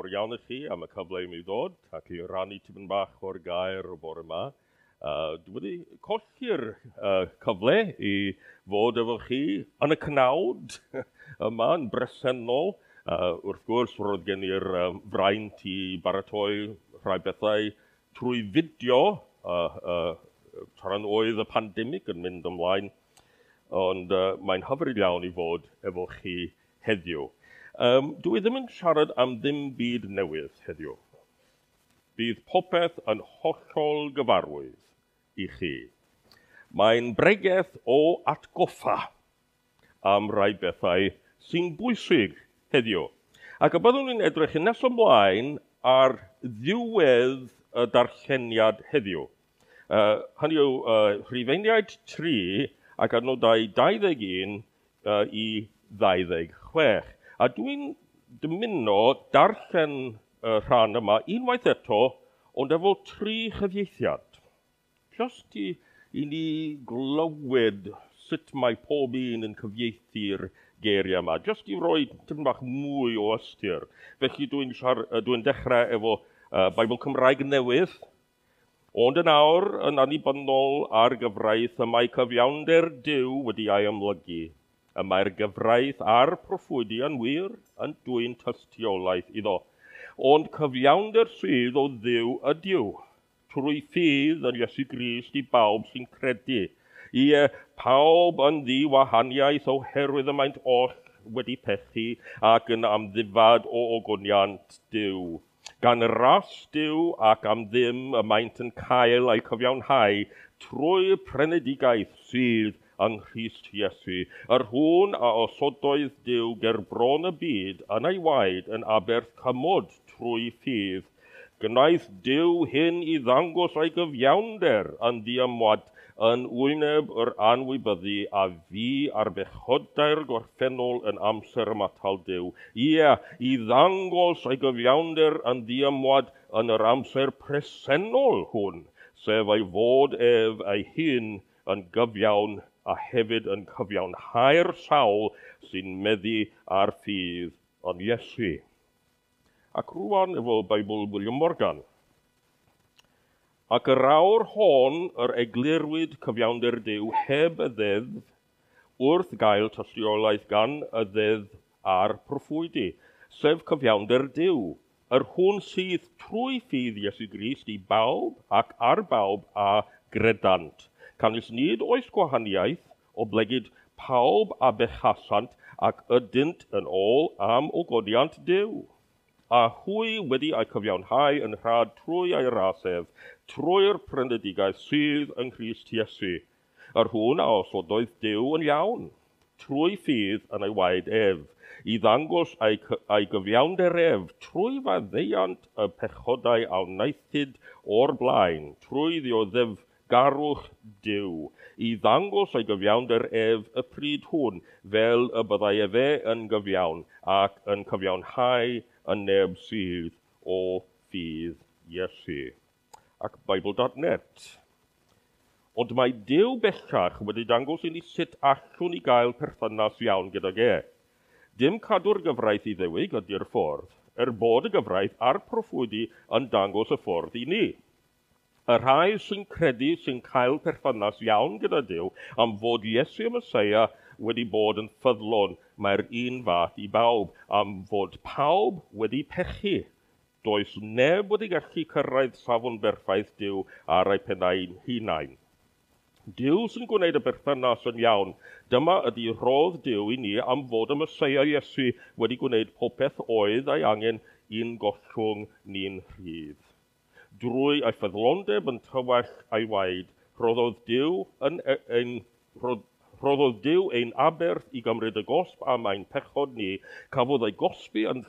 fawr iawn i chi am y cyfle i mi ddod ac i rannu tipyn bach o'r gair o bore yma. Dwi wedi colli'r cyfle i fod efo chi yn y cnawd yma yn bresennol. Wrth gwrs, roedd gen i'r fraint i baratoi rhai bethau trwy fideo tra'n oedd y pandemig yn mynd ymlaen, ond mae'n hyfryd iawn i fod efo chi heddiw. Dwi ddim yn siarad am ddim byd newydd heddiw. Bydd popeth yn hollol gyfarwydd i chi. Mae'n bregeth o atgoffa am rai bethau sy'n bwysig heddiw. Ac y byddwn ni'n edrych yn nes ymlaen ar ddiwedd y darlleniad heddiw. Hynny yw Rhufeiniaid 3 ac adnodau 21 i 26. A dwi'n dymuno darllen y rhan yma unwaith eto, ond efo 3 chyfieithiad. Just i ni glywed sut mae pob un yn cyfieithu'r geiriau yma. Just i roi tipyn bach mwy o ystyr. Felly dwi'n dechrau efo Beibl Cymraeg Newydd. Ond yn awr, yn annibynnol ar gyfraith, y mae cyfiawnder Duw wedi ei amlygu. Y mae'r gyfraith a'r proffwydi yn wir yn dwyn tystiolaeth iddo. Ond cyfiawnder sydd o Dduw ydyw, trwy ffydd yn Iesu Grist i bawb sy'n credu. Ie, pawb yn ddiwahaniaeth oherwydd y maent oll wedi pechu ac yn amddifad o ogoniant Duw. Gan ras Duw ac am ddim y maent yn cael eu cyfiawnhau trwy prenedigaeth sydd yng Nghrist Iesu, yr hwn a osodoedd Duw ger bron y byd yn ei waed yn aberth cymod trwy ffydd. Gwnaeth Duw hyn i ddangos ei gyfiawnder yn ddiymwad yn wyneb yr anwybyddu a fu ar bechodau'r gorffennol yn amser ymatal Duw. Ie, i ddangos ei gyfiawnder yn ddiymwad yn yr amser presennol hwn, sef ei fod ef ei hun yn gyfiawn a hefyd yn cyfiawnhau'r sawl sy'n meddu ar ffydd yn Iesu. Ac rwan efo Beibl William Morgan. Ac yr awr hon yr eglurwyd cyfiawnder Duw heb y ddeddf wrth gael tystiolaeth gan y ddeddf a'r proffwydi, sef cyfiawnder Duw, yr hwn sydd trwy ffydd Iesu Grist i bawb ac ar bawb a gredant. Canys nid oes gwahaniaeth oblegid pawb a bechasant ac ydynt yn ôl am ogoniant Duw. A hwy wedi eu cyfiawnhau yn rhad trwy ei ras ef, trwy'r prynedigaeth sydd yng Nghrist Iesu, yr hwn a osodoedd Duw yn iawn, trwy ffydd yn ei waed ef, i ddangos ei gyfiawnder ef, trwy faddeuant y pechodau a wnaethid o'r blaen, trwy ddioddef garwch Duw, i ddangos ei gyfiawnder ef y pryd hwn, fel y byddai efe yn gyfiawn ac yn cyfiawnhau y neb sydd o ffydd Iesu. Ac Bible.net. Ond mae Duw bellach wedi dangos i ni sut allwn ni gael perthynas iawn gydag e. Dim cadw'r gyfraith i ddewig ydy'r ffordd, er bod y gyfraith a'r proffwydi yn dangos y ffordd i ni. Y rhai sy'n credu sy'n cael perthynas iawn gyda Duw am fod Iesu y Meseia wedi bod yn ffyddlon, mae'r un fath i bawb, am fod pawb wedi pechu. Does neb wedi gallu cyrraedd safon berffaith Duw ar ei pennau hunain. Duw sy'n gwneud y berthynas yn iawn. Dyma ydy rhodd Duw i ni am fod y Meseia Iesu wedi gwneud popeth oedd ei angen i'n gollwng ni'n rhydd. Drwy ei ffyddlondeb yn tywell ei waed, rhoddodd Duw ein aberth i gymryd y gosb am ein pechod ni, cafodd ei gosbi yn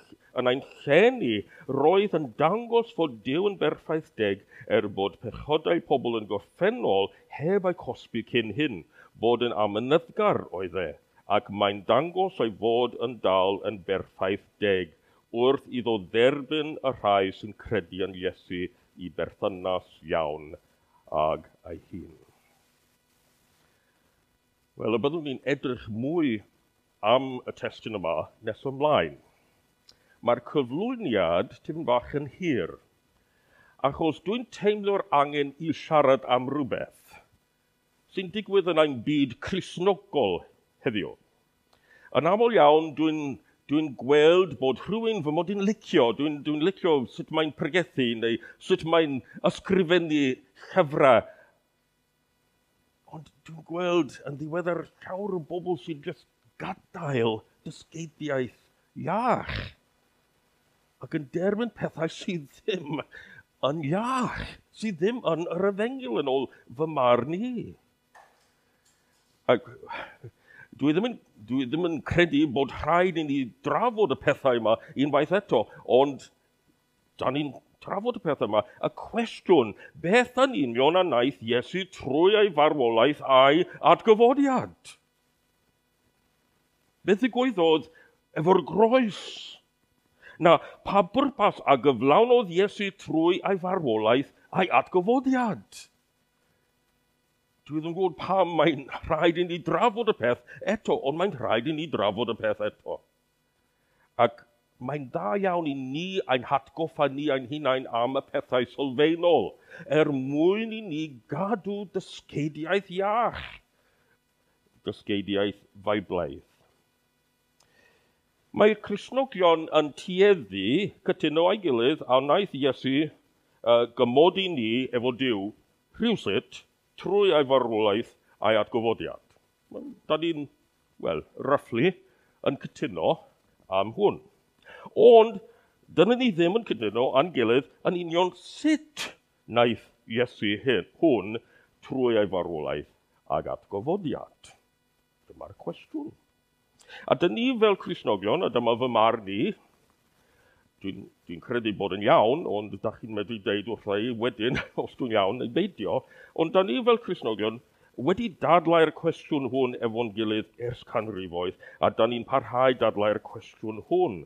ein lle ni, roedd yn dangos fod Duw yn berffaith deg er bod pechodau pobl yn gorffennol heb eu cosbi cyn hyn, bod yn amyneddgar oedd e, ac mae'n dangos ei fod yn dal yn berffaith deg wrth iddo dderbyn y rhai sy'n credu yn Iesu i berthynas iawn ag ei hun. Wel, y byddwn ni'n edrych mwy am y testun yma nes ymlaen. mae'r cyflwyniad tipyn bach yn hir, achos dwi'n teimlo'r angen i siarad am rhywbeth sy'n digwydd yn ein byd Cristnogol heddiw. Yn aml iawn, dwi'n gweld bod rhywun fy mod i'n licio, dwi'n licio sut mae'n pregethu neu sut mae'n ysgrifennu llyfrau. Ond dwi'n gweld yn ddiweddar llawer o bobl sy'n just gadael dysgeidiaeth iach ac yn derbyn pethau sydd ddim yn iach, sydd ddim yn yr efengyl yn ôl fy marn i. Ac dwi ddim yn credu bod rhaid i ni drafod y pethau yma unwaith eto, ond da ni'n trafod y pethau yma. Y cwestiwn, beth yn union a wnaeth Iesu trwy ei farwolaeth a'i atgyfodiad? Beth ddigwyddodd efo'r groes? Na, pa bwrpas a gyflawnodd Iesu trwy ei farwolaeth a'i atgyfodiad? Dwi ddim yn gwybod pam mae'n rhaid i ni drafod y peth eto, ond mae'n rhaid i ni drafod y peth eto. Ac mae'n dda iawn i ni ein hatgoffa ni ein hunain am y pethau sylfaenol, er mwyn i ni gadw dysgeidiaeth iach, dysgeidiaeth Feiblaidd. Mae'r Cristnogion yn tueddu cytuno â'i gilydd a wnaeth Iesu gymodi ni efo Duw rhywsut trwy ei farwolaeth a'i atgyfodiad. Da ni'n, wel, roughly, yn cytuno am hwn. Ond, dyna ni ddim yn cytuno â'n gilydd yn union sut wnaeth Iesu hwn trwy ei farwolaeth ag atgyfodiad. Dyma'r cwestiwn. A dyn ni fel Cristnogion, a dyma fy marn i, dwi'n credu bod yn iawn, ond da chi'n medru deud wrtha i wedyn os dwi'n iawn neu beidio, ond da ni fel Cristnogion wedi dadlau'r cwestiwn hwn efo'n gilydd ers canrifoedd, a da ni'n parhau dadlau'r cwestiwn hwn,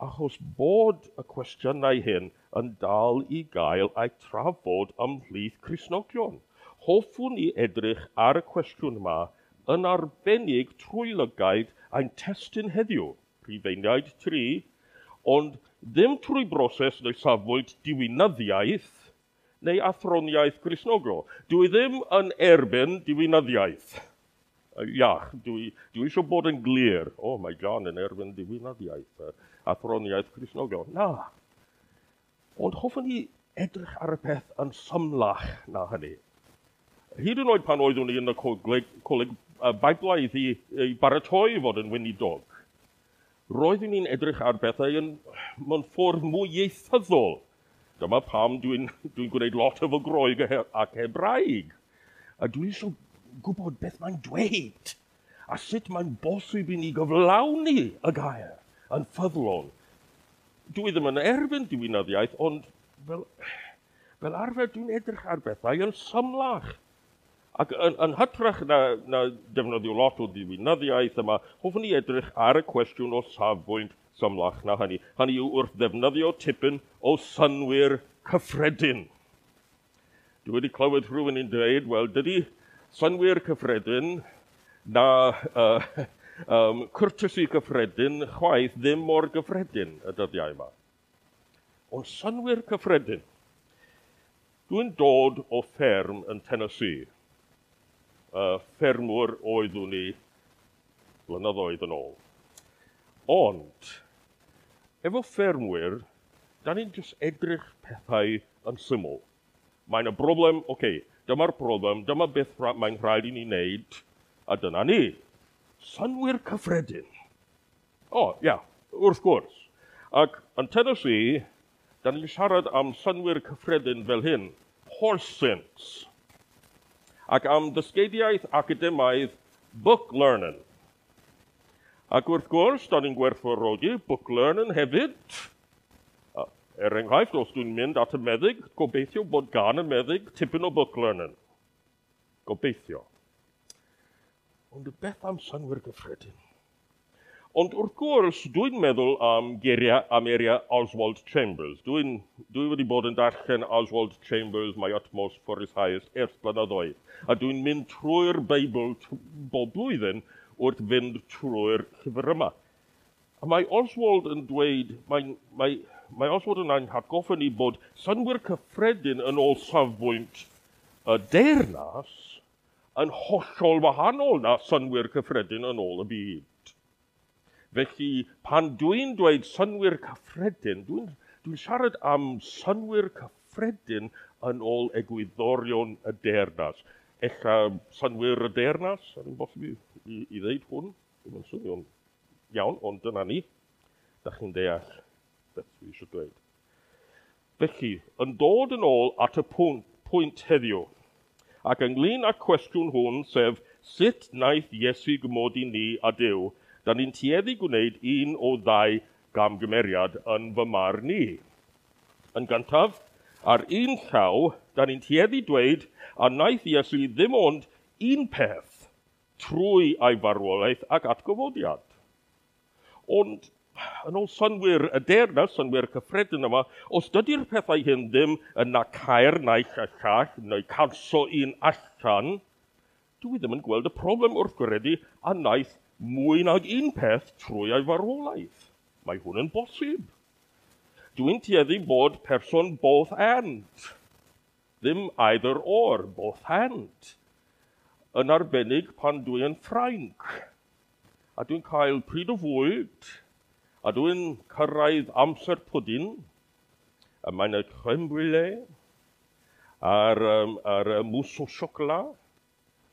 achos bod y cwestiynau hyn yn dal i gael eu trafod ymhlith Cristnogion. Hoffwn i edrych ar y cwestiwn yma yn arbennig trwy lygaid ein testun heddiw, Rhufeiniaid 3, ond ddim trwy broses neu safbwynt diwinyddiaeth neu athroniaeth Gristnogol. Dwi ddim yn erbyn diwinyddiaeth. Iach, dwi eisiau bod yn glir. O, mae John yn erbyn diwinyddiaeth, athroniaeth Gristnogol. Na. Ond hoffwn i edrych ar y peth yn symlach na hynny. Hyd yn oed pan oeddwn i yn y coleg Beiblaidd i baratoi i fod yn weinidog, roeddwn i'n edrych ar bethau mewn ffordd mwy ieithyddol. Dyma pam dwi'n gwneud lot efo Groeg ac Hebraeg. A dwi eisiau gwybod beth mae'n dweud a sut mae'n bosib i ni gyflawni y gair yn ffyddlon. Dwi ddim yn erbyn diwinyddiaeth, ond fel arfer dwi'n edrych ar bethau yn symlach. Ac yn hytrach na defnyddio lot o ddiwinyddiaeth yma, hoffwn i edrych ar y cwestiwn o safbwynt symlach na hynny. Hynny yw wrth ddefnyddio tipyn o synnwyr cyffredin. Dwi wedi clywed rhywun yn dweud, wel, dydy synnwyr cyffredin na courtesy cyffredin chwaith ddim mor gyffredin y dyddiau yma. Ond synnwyr cyffredin. Dwi'n dod o fferm yn Tennessee. Ffermwr oeddwn i blynyddoedd yn ôl. Ond, efo ffermwyr, da ni'n just edrych pethau yn syml. Mae'n y broblem, oce, dyma'r broblem, dyma beth mae'n rhaid i ni wneud, a dyna ni. Synnwyr cyffredin. O, ia, wrth gwrs. Ac yn Tennessee, da ni'n siarad am synnwyr cyffredin fel hyn, horse sense. Ac am ddysgeidiaeth academaidd book learning. Ac wrth gwrs, da ni'n gwerthfawrogi book learning hefyd. Er enghraifft, os dwi'n mynd at y meddyg, gobeithio bod gan y meddyg tipyn o book learning. Gobeithio. Ond beth am synnwyr gyffredin? Ond wrth gwrs, dwi'n meddwl am geiriau am eiriau Oswald Chambers. Dwi wedi bod yn darllen Oswald Chambers, My Utmost for His Highest, ers blynyddoedd. A dwi'n mynd trwy'r Beibl bob blwyddyn wrth fynd trwy'r llyfr yma. A mae Oswald yn dweud, mae Oswald yn ein hatgoffa ni bod synnwyr cyffredin yn ôl safbwynt y deyrnas yn hollol wahanol na synnwyr cyffredin yn ôl y byd. Felly, pan dwi'n dweud synnwyr cyffredin, dwi'n siarad am synnwyr cyffredin yn ôl egwyddorion y deyrnas. Ella synnwyr y deyrnas, ar un bosib i ddeud hwn, ddim yn swnio'n iawn, ond dyna ni. Da chi'n deall beth dwi eisiau dweud. Felly, yn dod yn ôl at y pwynt heddiw, ac ynglyn â'r cwestiwn hwn, sef sut wnaeth Iesu gymodi ni a Duw, da ni'n tueddu gwneud un o ddau gamgymeriad yn fy marn i. Yn gyntaf, ar un llaw, da ni'n tueddu dweud a wnaeth Iesu ddim ond un peth trwy ei farwolaeth ac atgyfodiad. Ond yn ôl synnwyr y deyrnas, synnwyr cyffredin yma, os dydy'r pethau hyn ddim yn nacair naill a llall neu canso un allan, dwi ddim yn gweld y problem wrth gredu a wnaeth mwy nag un peth trwy ei farwolaeth. Mae hwn yn bosib. Dwi'n tueddu bod person both and. Ddim either or, both and. Yn arbennig pan dwi yn Ffrainc. A dwi'n cael pryd o fwyd, a dwi'n cyrraedd amser pwdin, a mae'n y crème brûlée, a'r mousse au chocolat,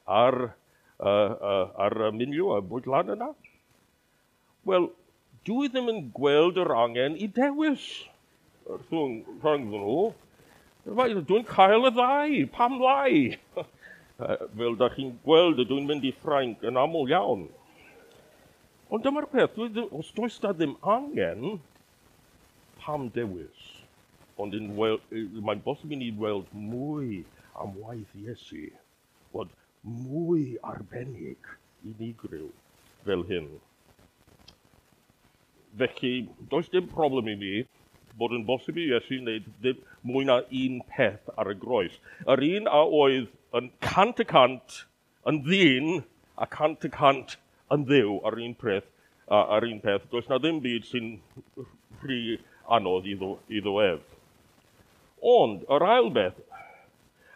a'r menu, y bwyd lan yna. Wel, dwi ddim yn gweld yr angen i dewis rhwng nhw. Dwi'n cael y ddau, pam lai? Fel da chi'n gweld, dwi'n mynd i Ffrainc yn aml iawn. Ond dyma'r peth, os does da ddim angen, pam dewis? Ond mae'n bosib i ni weld mwy am waith Iesu, bod mwy arbennig unigryw fel hyn. Felly, does dim problem i mi bod yn bosib i Iesu wneud ddim mwy na un peth ar y groes. Yr un a oedd yn 100% yn ddyn a 100% yn Dduw ar un peth, does na ddim byd sy'n rhy anodd iddo ef. Ond, yr ail beth,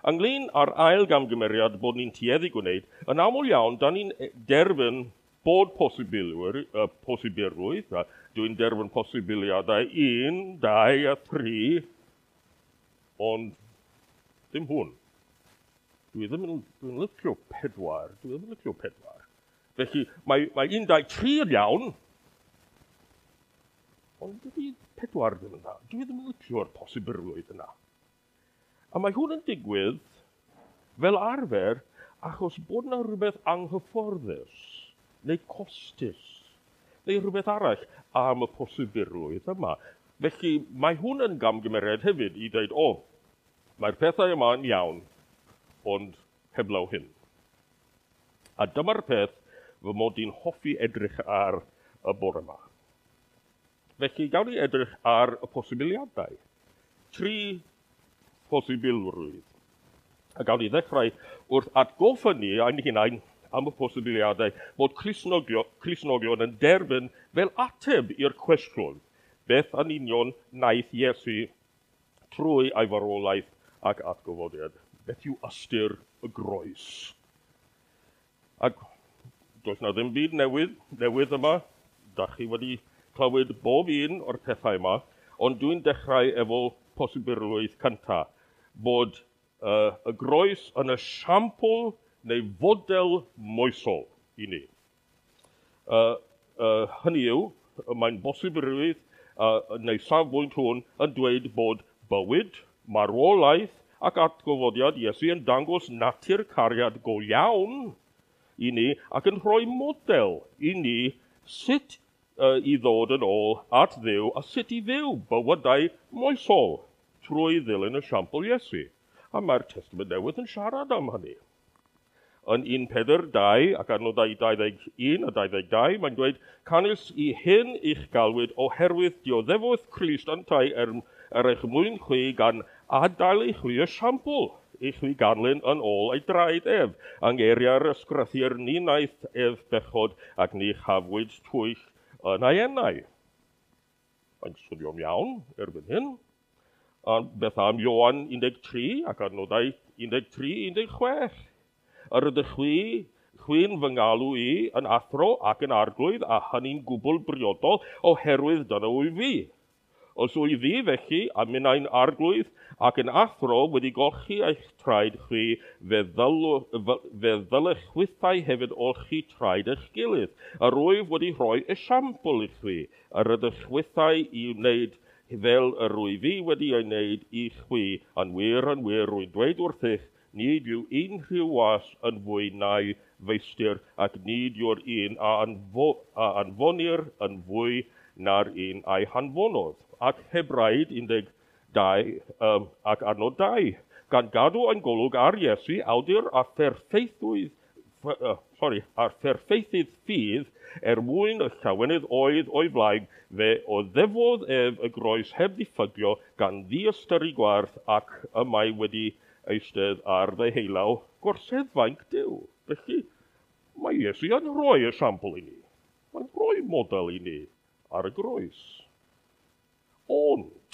ynglyn â'r ail gamgymeriad bod ni'n tueddu gwneud, yn aml iawn, da ni'n derbyn bod posibilrwydd, a dwi'n derbyn posibiliadau 1, 2 a 3, ond ddim hwn. Dwi ddim yn, dwi'n licio 4, dwi ddim yn licio 4. Felly, mae 1, 2, 3 yn iawn, ond dydy 4 ddim yn dda. Dwi ddim yn licio'r posibilrwydd yna. A mae hwn yn digwydd fel arfer achos bod yna rhywbeth anghyfforddus neu costus neu rhywbeth arall am y posibilrwydd yma. Felly mae hwn yn gamgymeriad hefyd i dweud, o, mae'r pethau yma yn iawn, ond heblaw hyn. A dyma'r peth fy mod i'n hoffi edrych ar y bore yma. Felly, gawn ni edrych ar y posibiliadau. 3 posibilrwydd. A gawn ni ddechrau wrth atgoffa ni ein hunain am y posibiliadau bod Cristnogion yn derbyn fel ateb i'r cwestiwn beth yn union wnaeth Iesu trwy ei farwolaeth ac atgyfodiad. Beth yw ystyr y groes? Ac does na ddim byd newydd yma. Da chi wedi clywed bob un o'r pethau yma, ond dwi'n dechrau efo posibilrwydd cynta, bod y groes yn esiampl neu fodel moesol i ni. Hynny yw, mae'n bosibilrwydd neu safbwynt hwn yn dweud bod bywyd, marwolaeth ac atgyfodiad Iesu yn dangos natur cariad go iawn i ni ac yn rhoi model i ni sut i ddod yn ôl at Dduw a sut i fyw bywydau moesol trwy ddilyn esiampl Iesu. A mae'r Testament Newydd yn siarad am hynny. Yn 1 Pedr 2 ac adnodau 21 a 22, mae'n dweud, canys i hyn i'ch galwyd oherwydd dioddefodd Crist yntau er eich mwyn chwi gan adael i chwi esiampl i chwi ganlyn yn ôl ei draed ef. Yng ngeiriau'r ysgrythur ni wnaeth ef bechod ac ni chafwyd twyll yn ei enau. Mae'n swnio'n iawn erbyn hyn. Ond beth am Ioan 13 ac adnodau 13-16? Yr ydych chwi'n fy ngalw i yn athro ac yn arglwydd, a hynny'n gwbl briodol, oherwydd dyna wyf fi. Os wyf fi felly, a minnau'n arglwydd ac yn athro wedi golchi eich traed chwi, fe ddylech chwithau hefyd olchi traed eich gilydd. Yr wyf wedi rhoi esiampl i chwi, yr ydych chwithau i wneud fel yr wyf fi wedi ei wneud i chwi. Yn wir, rwy'n dweud wrthych, nid yw unrhyw was yn fwy na'i feistr, ac nid yw'r un a anfonir yn fwy na'r un a'i hanfonodd. Ac Hebraid 12 ac adnod 2, gan gadw ein golwg ar Iesu, awdur a pherffeithydd ffydd, er mwyn y llawenydd oedd o'i flaen, fe oddefodd ef y groes heb ddiffygio, gan ddiystyru gwarth, ac y mae wedi eistedd ar ddeheulaw gorseddfainc Duw. Felly, mae Iesu yn rhoi esiampl i ni. Mae'n rhoi model i ni ar y groes. Ond,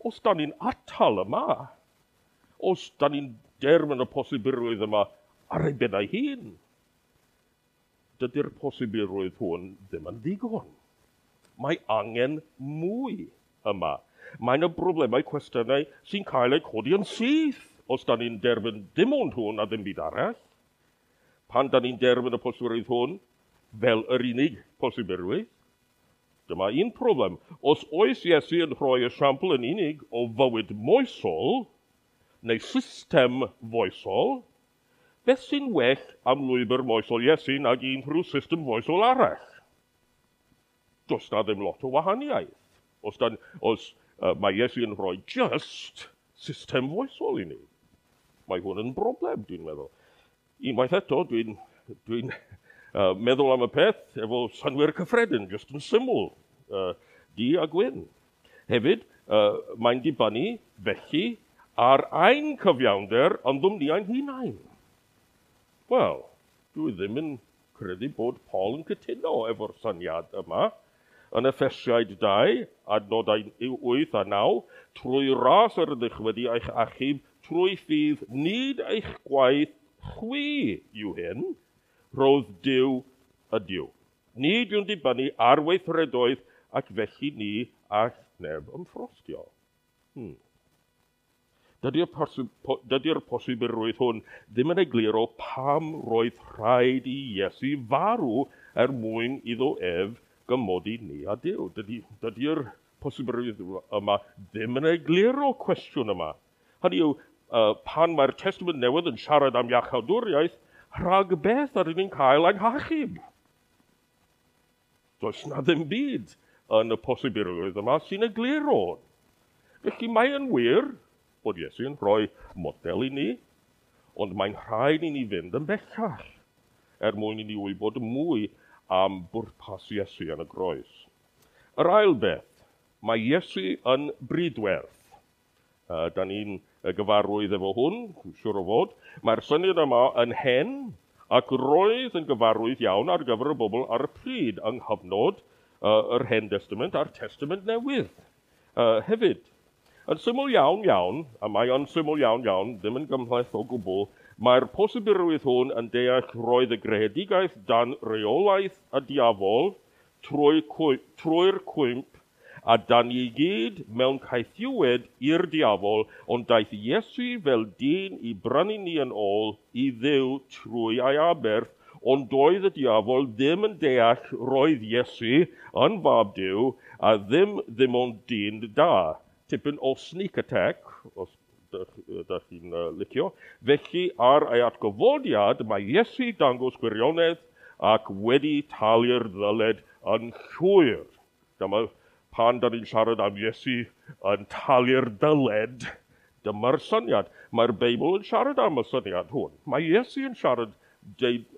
os da ni'n atal yma, os da ni'n derbyn y posibilrwydd yma ar ei ben ei hun, dydy'r posibilrwydd hwn ddim yn ddigon. Mae angen mwy yma. Mae yna broblemau, cwestiynau sy'n cael eu codi yn syth os da ni'n derbyn dim ond hwn a ddim byd arall. Pan da ni'n derbyn y posibilrwydd hwn fel yr unig posibilrwydd, dyma un problem. Os oes Iesu yn rhoi esiampl yn unig o fywyd moesol, neu system foesol, beth sy'n well am lwybr moesol Iesu nag unrhyw system foesol arall? Does na ddim lot o wahaniaeth. Os mae Iesu yn rhoi just system foesol i ni. Mae hwn yn broblem, dwi'n meddwl. Unwaith eto, dwi'n meddwl am y peth efo synnwyr cyffredin, just yn syml, du a gwyn. Hefyd, mae'n dibynnu felly ar ein cyfiawnder ynddom ni ein hunain. Wel, dwi ddim yn credu bod Paul yn cytuno efo'r syniad yma. Yn Effesiaid 2, adnodau 8 a 9, trwy ras yr ydych wedi eich achub, trwy ffydd nid eich gwaith chwi yw hyn, roedd Duw ydyw. Nid yw'n dibynnu ar weithredoedd ac felly ni all neb ymffrostio. Dydy'r posibilrwydd hwn ddim yn egluro pam roedd rhaid i Iesu farw er mwyn iddo ef gymodi ni a Duw. Dydy'r posibilrwydd yma ddim yn egluro cwestiwn yma. Hynny yw, pan mae'r Testament Newydd yn siarad am iachawdwriaeth, rhag beth ydyn ni'n cael ein hachub? Does na ddim byd yn y posibilrwydd yma sy'n egluro. Felly mae yn wir bod Iesu yn rhoi model i ni, ond mae'n rhaid i ni fynd yn bellach er mwyn i ni wybod mwy am bwrpas Iesu yn y groes. Yr ail beth, mae Iesu yn bridwerth. Da ni'n gyfarwydd efo hwn, siŵr o fod. Mae'r syniad yma yn hen ac roedd yn gyfarwydd iawn ar gyfer y bobl ar y pryd yng nghyfnod yr Hen Testament a'r Testament Newydd hefyd. Yn syml iawn iawn, a mae o'n syml iawn iawn, ddim yn gymhleth o gwbl, mae'r posibilrwydd hwn yn deall roedd y greadigaeth dan reolaeth y diafol trwy'r cwymp, a dan i gyd mewn caethiwed i'r diafol, ond daeth Iesu fel dyn i brynu ni yn ôl i Dduw trwy ei aberth, ond doedd y diafol ddim yn deall roedd Iesu yn fab Duw a ddim ond dyn da. Tipyn o sneak attack, os ydych chi'n licio. Felly ar ei atgyfodiad mae Iesu dangos gwirionedd ac wedi talu'r ddyled yn llwyr. Dyma pan da ni'n siarad am Iesu yn talu'r dyled, dyma'r syniad. Mae'r Beibl yn siarad am y syniad hwn. Mae Iesu yn siarad,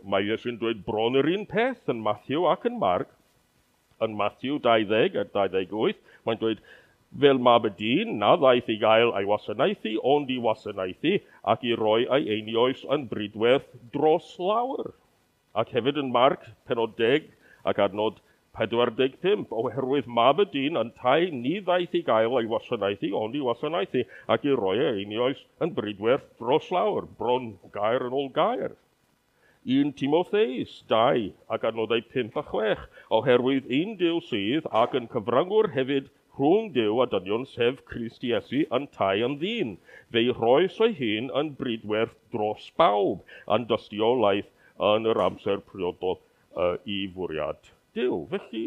mae Iesu'n dweud bron yr un peth yn Matthew ac yn Mark. Yn Matthew 20 a 28, mae'n dweud, fel mab y dyn, na ddaeth i gael ei wasanaethu, ond i wasanaethu ac i roi ei einioes yn bridwerth dros lawer. Ac hefyd yn Mark, penod 10 ac adnod 45, oherwydd mab y dyn yntau ni ddaeth i gael ei wasanaethu, ond i wasanaethu, ac i roi ei einioes yn bridwerth dros lawr, bron gair yn ôl gair. 1 Timotheus 2 ac adnodau 5 a 6, oherwydd un Duw sydd ac yn cyfryngwr hefyd rhwng Duw a dynion, sef Crist Iesu, yntau yn ddyn. Fe'i rhoes ei hun yn bridwerth dros bawb, yn dystiolaeth yn yr amser priodol i fwriad Duw. Felly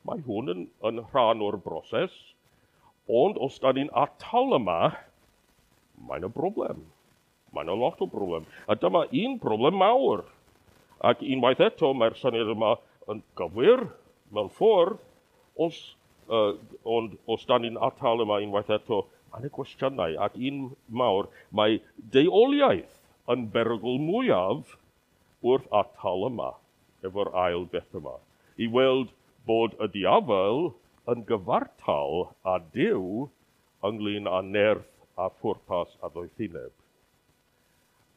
mae hwn yn rhan o'r broses, ond os da ni'n atal yma, mae'n y broblem. Mae'n a lot o broblem. A dyma un broblem mawr. Ac unwaith eto, mae'r syniad yma yn gywir mewn ffordd, ond os da ni'n atal yma unwaith eto, mae'n y gwestiynau. Ac un mawr, mae deuoliaeth yn berygl mwyaf wrth atal yma, efo'r ail beth yma. I weld bod y diafol yn gyfartal â Duw ynglyn â nerth a phwrpas a ddoethineb.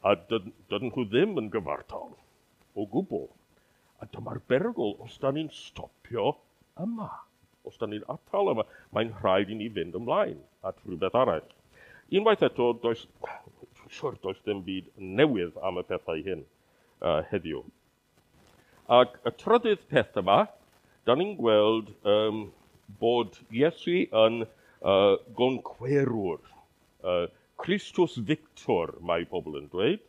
A dydyn nhw ddim yn gyfartal o gwbl. A dyma'r berygl os da ni'n stopio yma. Os da ni'n atal yma, mae'n rhaid i ni fynd ymlaen at rhywbeth arall. Unwaith eto, does dim byd newydd am y pethau hyn heddiw. Ac y trydydd peth yma, da ni'n gweld bod Iesu yn goncwerwr. Christus Victor, mae pobl yn dweud.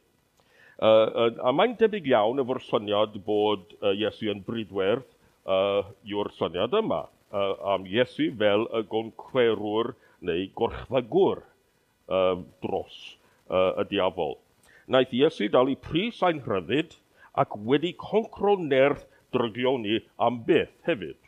A mae'n debyg iawn efo'r syniad bod Iesu yn bridwerth yw'r syniad yma. Am Iesu fel y goncwerwr neu gorchfygwr dros y diafol. Naeth Iesu dalu pris ein rhyddid ac wedi concro nerth drygioni am byth hefyd.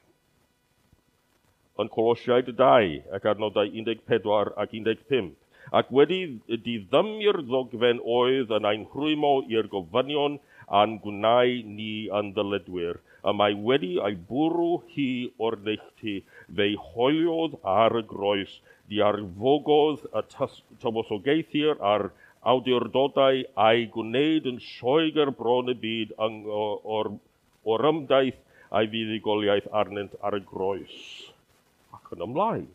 Yn Colosiaid 2 ac adnodau 14 ac 15, ac wedi diddymu'r ddogfen oedd yn ein rhwymo i'r gofynion a'n gwnau ni yn ddyledwyr, y mae wedi ei bwrw hi o'r neilltu, fe'i hoeliodd ar y groes, diarfogodd y tywysogaethir a'r awdurdodau a'i gwneud yn sioegar bron y byd o'r ymdaith a'i fuddugoliaeth arnynt ar y groes. Ac yn ymlaen.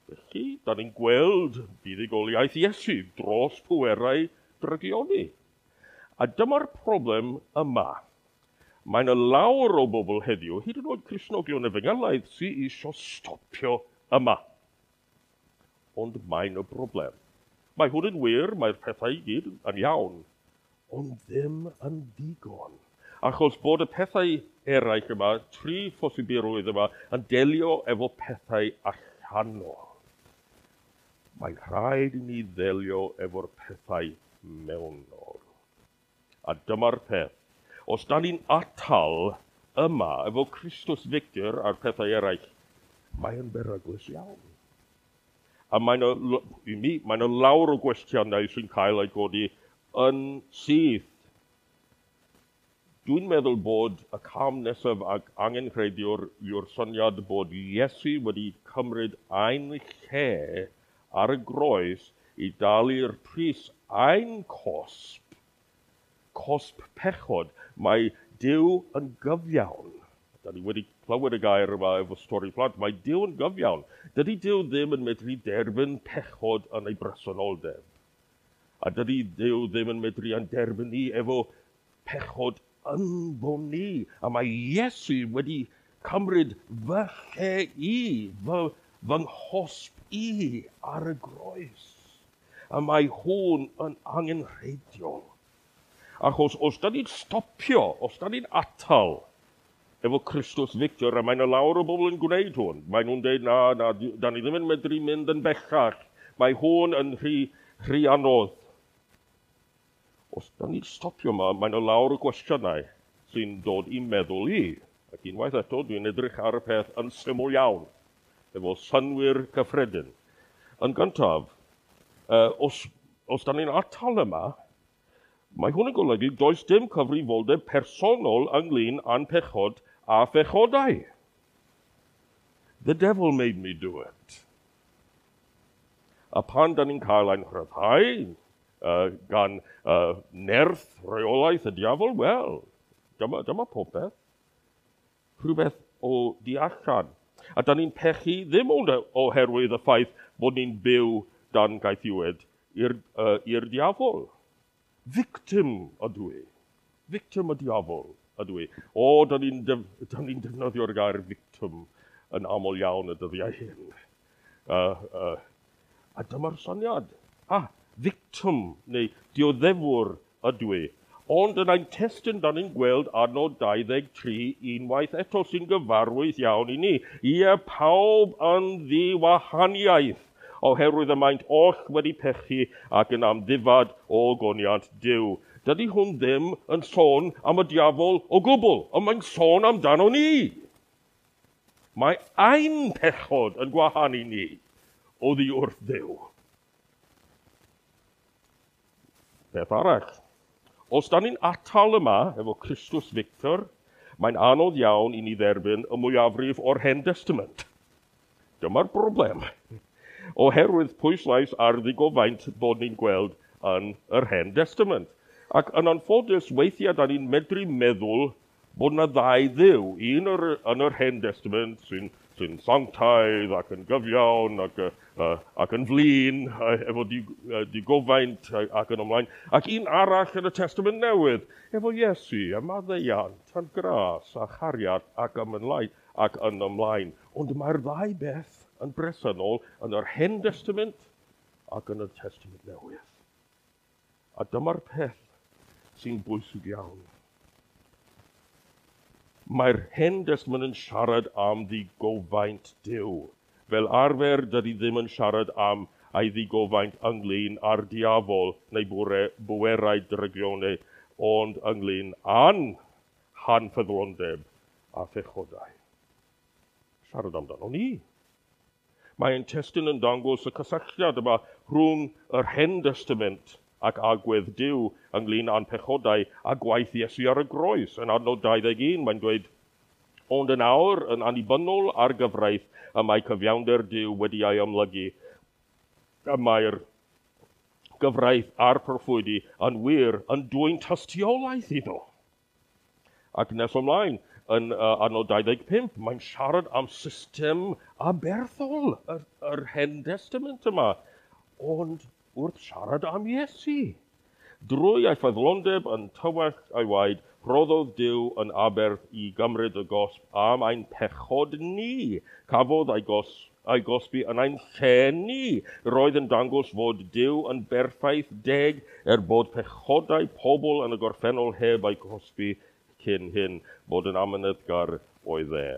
Felly, da ni'n gweld buddugoliaeth Iesu dros pwerau drygioni. A dyma'r problem yma. Mae'n y lawr o bobl heddiw, hyd yn oed Cristnogion efengylaidd, sydd eisiau stopio yma. Ond mae'n y broblem. Mae hwn yn wir, mae'r pethau i gyd yn iawn, ond ddim yn ddigon. Achos bod y pethau eraill yma, tri phosibilrwydd yma, yn delio efo pethau allanol. Mae'n rhaid i ni ddelio efo'r pethau mewnol. A dyma'r peth. Os da ni'n atal yma efo Christus Victor a'r pethau eraill, mae'n beryglus iawn. A mae'n y lawr o gwestiynau sy'n cael ei godi yn syth. Dwi'n meddwl bod y cam nesaf ac angenrheidiwr yw'r syniad bod Iesu wedi cymryd ein lle ar y groes i dalu'r pris ein cosb, cosb pechod. Mae Duw yn gyfiawn. Da ni wedi clywed y gair yma efo stori plant. Mae Duw yn gyfiawn. Dydy Duw ddim yn medru derbyn pechod yn ei bresenoldeb. A dydy Duw ddim yn medru yn derbyn ni efo pechod ynddo ni. A mae Iesu wedi cymryd fy lle i, fy nghosb i ar y groes. A mae hwn yn angenrheidiol. Achos os da ni'n stopio, os da ni'n atal efo Christus Victor, a mae'n lawr o bobl yn gwneud hwn. Mae nhw'n dweud, na, da ni ddim yn medru mynd yn bellach. Mae hwn yn rhy anodd. Os da ni'n stopio yma, mae'n lawr o gwestiynau sy'n dod i'n meddwl i. Ac unwaith eto, dwi'n edrych ar y peth yn syml iawn, efo synnwyr cyffredin. Yn gyntaf, os da ni'n atal yma, mae hwn yn golygu does dim cyfrifoldeb personol ynglyn â'n pechod a phechodau. The devil made me do it. A pan da ni'n cael ein rhyddhau gan nerth reolaeth y diafol, wel, dyma popeth. Rhywbeth o du allan. A da ni'n pechu ddim ond oherwydd y ffaith bod ni'n byw dan gaethiwed i'r diafol. Victim ydw i. Victim y diafol ydw i. O, da ni'n defnyddio'r gair victim yn aml iawn y dyddiau hyn. A dyma'r syniad. Victim neu dioddefwr ydw i. Ond yn ein testun, da ni'n gweld adnod 23 unwaith eto sy'n gyfarwydd iawn i ni. Ie, pawb yn ddiwahaniaeth, oherwydd y maent oll wedi pechu ac yn amddifad o goniant Duw. Dydy hwn ddim yn sôn am y diafol o gwbl, ond mae'n sôn amdano ni. Mae ein pechod yn gwahanu ni oddi wrth Dduw. Beth arall? Os da ni'n atal yma efo Christus Victor, mae'n anodd iawn i ni dderbyn y mwyafrif o'r Hen Testament. Dyma'r broblem. Oherwydd pwyslais ar ddigofaint bod ni'n gweld yn yr Hen Testament. Ac yn anffodus, weithiau da ni'n medru meddwl bod yna ddau dduw. Un yn yr Hen Testament sy'n sanctaidd ac yn gyfiawn ac yn flin, efo digofaint ac yn ymlaen. Ac un arall yn y Testament Newydd, efo Iesu a maddeuant a'n gras a chariad ac yn ymlaen. Ond mae'r ddau beth yn bresennol yn yr Hen Testament ac yn y Testament Newydd. A dyma'r peth sy'n bwysig iawn. Mae'r Hen Testament yn siarad am ddigofaint Duw. Fel arfer, dydy ddim yn siarad am ei ddigofaint ynglyn â'r diafol neu bwerau drygioni, ond ynglyn â'n hanffyddlondeb a phechodau. Siarad amdano ni. Mae ein testun yn dangos y cysylltiad yma rhwng yr Hen Testament ac agwedd Duw ynglyn â'n pechodau a gwaith Iesu ar y groes. Yn adnod 21, mae'n dweud, ond yn awr, yn annibynnol ar gyfraith, y mae cyfiawnder Duw wedi ei amlygu, y mae'r gyfraith a'r proffwydi yn wir yn dwyn tystiolaeth iddo. Ac nes ymlaen, yn adnod 25, mae'n siarad am system aberthol yr Hen Testament yma. Ond wrth siarad am Iesu. Drwy ei ffyddlondeb yn tywallt ei waed, rhoddodd Duw yn aberth i gymryd y gosb am ein pechod ni. Cafodd ei gosbi yn ein lle ni. Roedd yn dangos fod Duw yn berffaith deg er bod pechodau pobl yn y gorffennol heb ei gosbi cyn hyn, bod yn amyneddgar oedd e.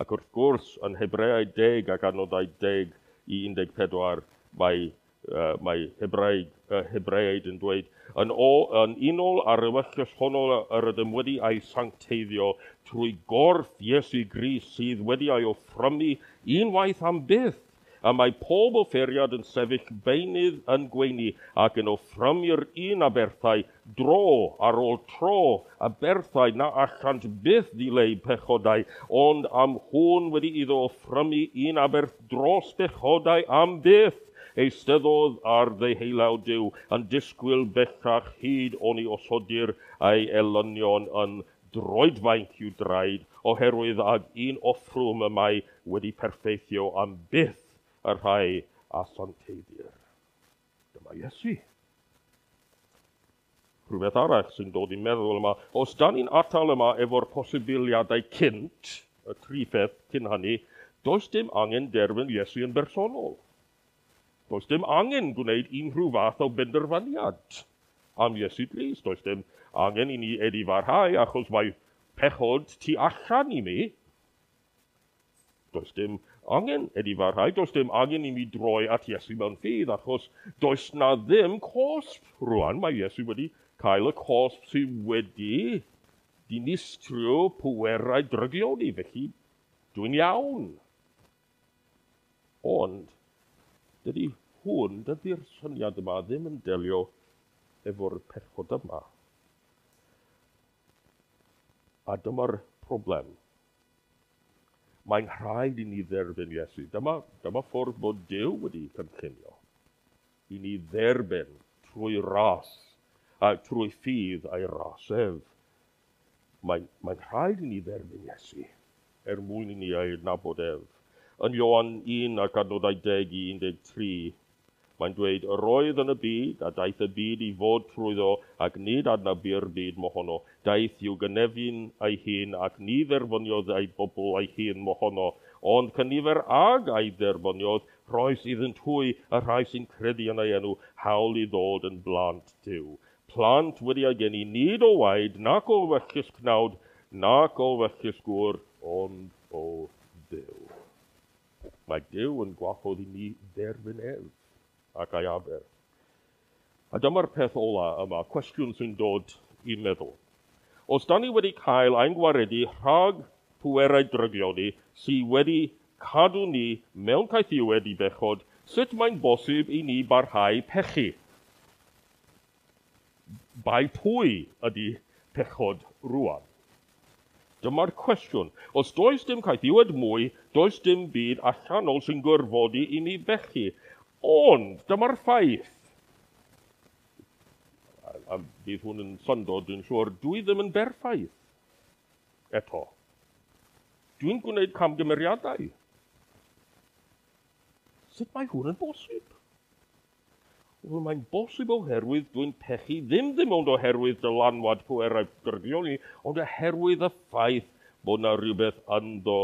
Ac wrth gwrs, yn Hebreaid 10 ac adnodau 10 i 14, mae Hebreaid yn dweud, yn unol â'r ewyllys honno yr ydym wedi ei sancteiddio trwy gorff Iesu Grist sydd wedi ei offrymu unwaith am byth, a mae pob offeriad yn sefyll beunydd yn gweini ac yn offrymu'r un aberthau dro ar ôl tro, aberthau na allant byth ddileu pechodau, ond am hwn wedi iddo offrymu un aberth dros bechodau am byth, eisteddodd ar ddeheulaw Duw yn disgwyl bellach hyd oni osodir ei elynion yn droedfainc i'w draed, oherwydd ag un offrwm y mae wedi perffeithio am byth y rhai a sancteiddir. Dyma Iesu. Rhywbeth arall sy'n dod i'n meddwl yma, os da ni'n atal yma efo'r posibiliadau cynt, y tri pheth cyn hynny, does dim angen derbyn Iesu yn bersonol. Does dim angen gwneud unrhyw fath o benderfyniad am Iesu Grist. Does dim angen i ni edifarhau achos mae pechod tu allan i mi. Does dim angen edifarhau, does dim angen i mi droi at Iesu mewn ffydd achos does na ddim cosb rwan. Mae Iesu wedi cael y cosb sydd wedi dinistrio pwerau drygioni, felly dwi'n iawn. Ond dydy hwn, dydy'r syniad yma ddim yn delio efo'r pechod yma. A dyma'r problem. Mae'n rhaid i ni dderbyn Iesu. Dyma ffordd bod Duw wedi cynllunio. I ni dderbyn trwy ras, a trwy ffydd a'i ras ef. Mae'n rhaid i ni dderbyn Iesu. er mwyn i ni ei adnabod ef. Yn Ioan 1 ac adnodau 10 i 13, mae'n dweud, Yr oedd yn y byd, a daeth y byd i fod trwyddo, ac nid adnabu'r byd mohono. Daeth i'w gynefin ei hun, ac ni dderbyniodd ei bobl ei hun mohono. Ond cynifer ag a'i dderbyniodd, rhoes iddynt hwy, y rhai sy'n credu yn ei enw, hawl i ddod yn blant Duw. Plant wedi eu geni nid o waed, nac o ewyllys cnawd, nac o ewyllys gŵr, ond o Dduw. Mae Duw yn gwahodd i ni dderbyn ef ac ei aberth. A dyma'r peth ola yma, cwestiwn sy'n dod i'n meddwl. Os da ni wedi cael ein gwaredu rhag pwerau drygioni sydd wedi cadw ni mewn caethiwed i bechod, sut mae'n bosib i ni barhau pechu? Bai pwy ydy pechod rwan? Dyma'r cwestiwn. Os does dim caethiwed mwy, does dim byd allanol sy'n gorfodi i ni bechu. Ond, dyma'r ffaith. A bydd hwn yn syndod, dwi'n siŵr, dwi ddim yn berffaith eto. Dwi'n gwneud camgymeriadau. Sut mae hwn yn bosib? Wel, mae'n bosib oherwydd dwi'n pechu ddim ddim ond oherwydd dylanwad pwerau drygioni, ond oherwydd y ffaith bod na rhywbeth ynddo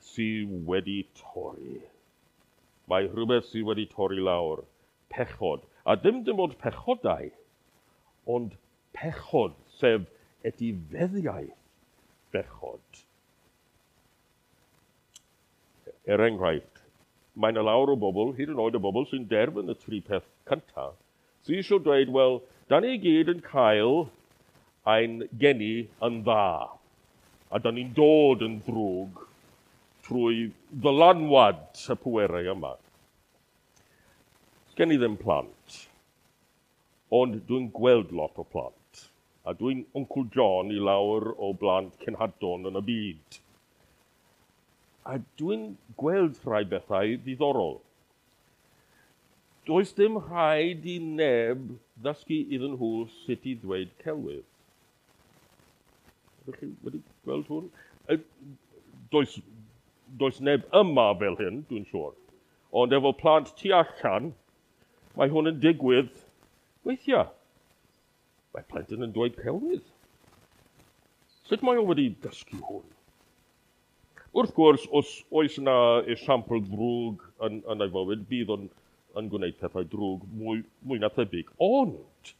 sydd wedi torri. Mae rhywbeth sydd wedi torri lawr. Pechod. A ddim dim ond pechodau, ond pechod, sef etifeddiaeth bechod. Er enghraifft, mae yna lawer o bobl, hyd yn oed y bobl sy'n derbyn y tri peth cyntaf, sydd eisiau dweud, wel, da ni gyd yn cael ein geni yn dda, a da ni'n dod yn ddrwg trwy ddylanwad y pwerau yma. Sgen i ddim plant, ond dwi'n gweld lot o plant, a dwi'n Uncle John i lawer o blant cenhadon yn y byd. A dwi'n gweld rhai bethau ddiddorol. Does dim rhaid i neb ddysgu iddyn nhw sut i ddweud celwydd. Ydych chi wedi gweld hwn? Does, does neb yma fel hyn, dwi'n siŵr. Ond efo plant tu allan, mae hwn yn digwydd weithiau. Mae plentyn yn dweud celwydd. Sut mae o wedi dysgu hwn? Wrth gwrs, os oes yna esiampl ddrwg yn, yn ei fywyd, bydd o'n yn gwneud pethau drwg mwy, mwy na thebyg. Ond,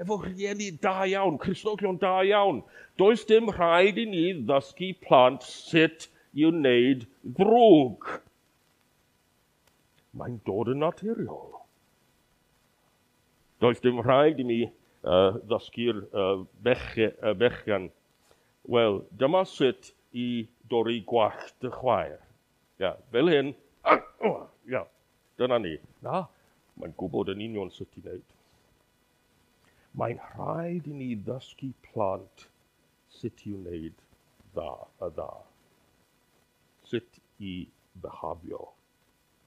efo rhieni da iawn, Cristnogion da iawn, does dim rhaid i ni ddysgu plant sut i wneud ddrwg. Mae'n dod yn naturiol. Does dim rhaid i mi ddysgu'r bech, bechgyn. Wel, dyma sut i dorri gwallt dy chwaer. Ia, fel hyn. Ia, dyna ni. Na, mae'n gwybod yn union sut i wneud. Mae'n rhaid i ni ddysgu plant sut i wneud dda y dda. Sut i byhafio.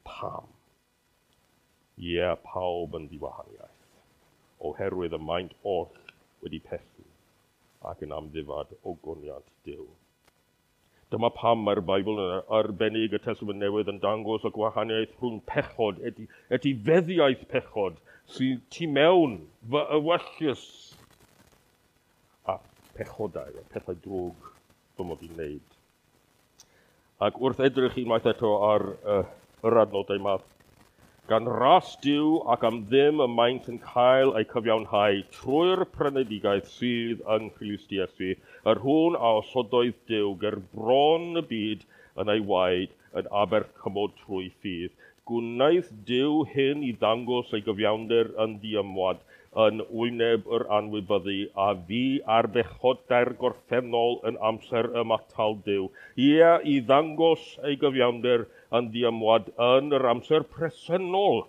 Pam? Ie, yeah, pawb yn ddiwahaniaeth. Oherwydd y maent oll wedi pechu ac yn amddifad o goniant Duw. Dyma pam mae'r Beibl yn arbennig y Testament Newydd yn dangos y gwahaniaeth rhwng pechod, eti, etifeddiaeth pechod, sydd tu mewn fy ewyllys, a pechodau, a pethau drwg fy mod i'n wneud. Ac wrth edrych unwaith eto ar yr adnodau yma, gan ras Duw ac am ddim y maent yn cael eu cyfiawnhau trwy'r prynedigaeth sydd yng Nghrist Iesu, yr hwn a osodoedd Duw ger bron y byd yn ei waed yn aberth cymod trwy ffydd. Gwnaeth Duw hyn i ddangos ei gyfiawnder yn ddiymwad yn wyneb yr anwybyddu a fu ar bechodau'r gorffennol yn amser ymatal Duw. Ie, i ddangos ei gyfiawnder yn ddiymwad yn yr amser presennol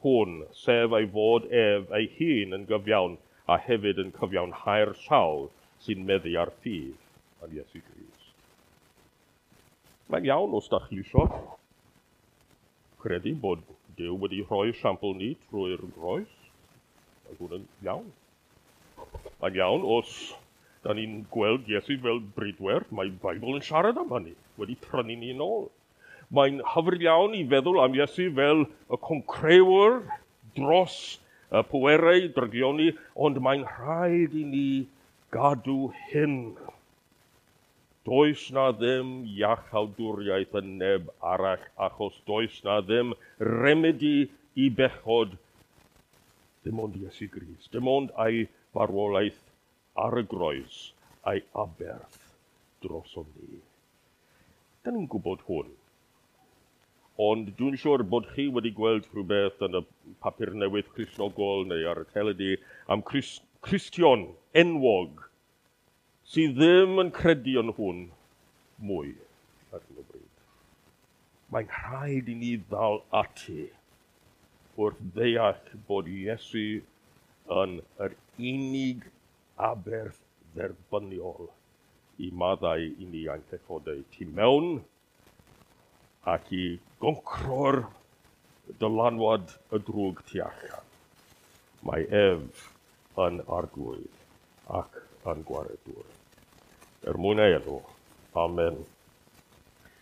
hwn, sef ei fod ef ei hun yn gyfiawn a hefyd yn cyfiawnhau'r sawl sy'n meddu ar ffydd yn Iesu Grist. Mae'n iawn os da chi isio credu bod Duw wedi rhoi siampl ni trwy'r groes. Mae hwn yn iawn. Mae'n iawn os Da ni'n gweld Iesu fel bridwer, mae Beibl yn siarad am hynny, wedi prynu ni yn ôl. Mae'n hyfryd iawn i feddwl am Iesu fel y concrewr dros y pwerau drygioni, ond mae'n rhaid i ni gadw hyn. Does na ddim iachawdwriaeth yn neb arall, achos does na ddim remedi i bechod, dim ond Iesu Grist, dim ond ei farwolaeth ar y groes a'i aberth drosom ni. Da ni'n gwybod hwn. Ond dwi'n siŵr bod chi wedi gweld rhywbeth yn y papur newydd Cristnogol neu ar y teledu am Cristion enwog sydd ddim yn credu yn hwn mwy ar hyn o bryd. Mae'n rhaid i ni ddal ati wrth ddeall bod Iesu yn yr unig aberth dderbyniol i maddau i ni ein pechodau tu mewn ac i goncro'r dylanwad y drwg tu allan. Mae ef yn arglwydd ac yn gwaredwr. Er mwyn ei enw. Amen.